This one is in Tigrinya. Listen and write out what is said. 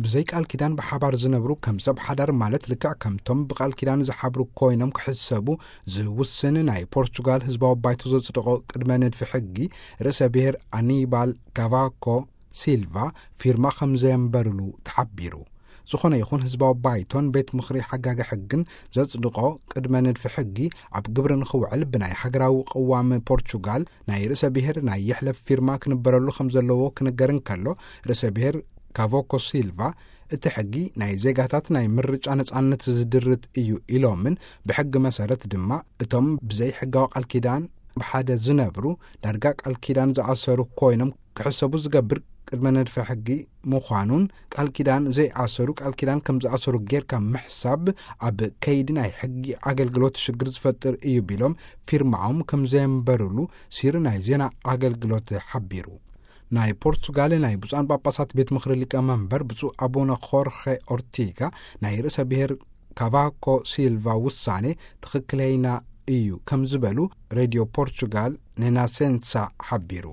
ብዘይ ቃል ኪዳን ብሓባር ዝነብሩ ከም ሰብ ሓዳር ማለት ልክዕ ከምቶም ብቃል ኪዳን ዝሓብሩ ኮይኖም ክሕሰቡ ዝውስን ናይ ፖርቹጋል ህዝባዊ ባይቶ ዘጽደቖ ቅድመ ንድፊ ሕጊ፣ ርእሰ ብሔር ኣኒባል ካቫኮ ሲልቫ ፊርማ ከም ዘየንበርሉ ተሓቢሩ። ዝኾነ ይኹን ህዝባዊ ባይቶን ቤት ምኽሪ ሓጋጊ ሕግን ዘጽድቖ ቅድመ ንድፊ ሕጊ ኣብ ግብሪ ንኽውዕል ብናይ ሃገራዊ ቅዋም ፖርቹጋል ናይ ርእሰ ብሔር ናይ ይሕለፍ ፊርማ ክንበረሉ ከም ዘለዎ ክንገር እንከሎ፣ ርእሰ ብሔር ካቮኮ ሲልቫ እቲ ሕጊ ናይ ዜጋታት ናይ ምርጫ ነጻነት ዝድርት እዩ ኢሎምን፣ ብሕጊ መሰረት ድማ እቶም ብዘይ ሕጋዊ ቃል ኪዳን ብሓደ ዝነብሩ ዳርጋ ቃል ኪዳን ዝኣሰሩ ኮይኖም ክሕሰቡ ዝገብር ቅድመ ነድፈ ሕጊ ምዃኑን፣ ቃል ኪዳን ዘይኣሰሩ ቃል ኪዳን ከም ዝኣሰሩ ጌርካ ምሕሳብ ኣብ ከይዲ ናይ ሕጊ ኣገልግሎት ሽግር ዝፈጥር እዩ ቢሎም ፊርማኦም ከም ዘየንበርሉ ሲሪ ናይ ዜና ኣገልግሎት ሓቢሩ። ናይ ፖርቹጋል ናይ ብፁዓን ጳጳሳት ቤት ምኽሪ ሊቀመንበር ብፁዕ ኣቡነ ኾርኸ ኦርቲጋ ናይ ርእሰ ብሔር ካቫኮ ሲልቫ ውሳኔ ትኽክለይና እዩ ከም ዝበሉ ሬድዮ ፖርቹጋል ኔናሴንሳ ሓቢሩ።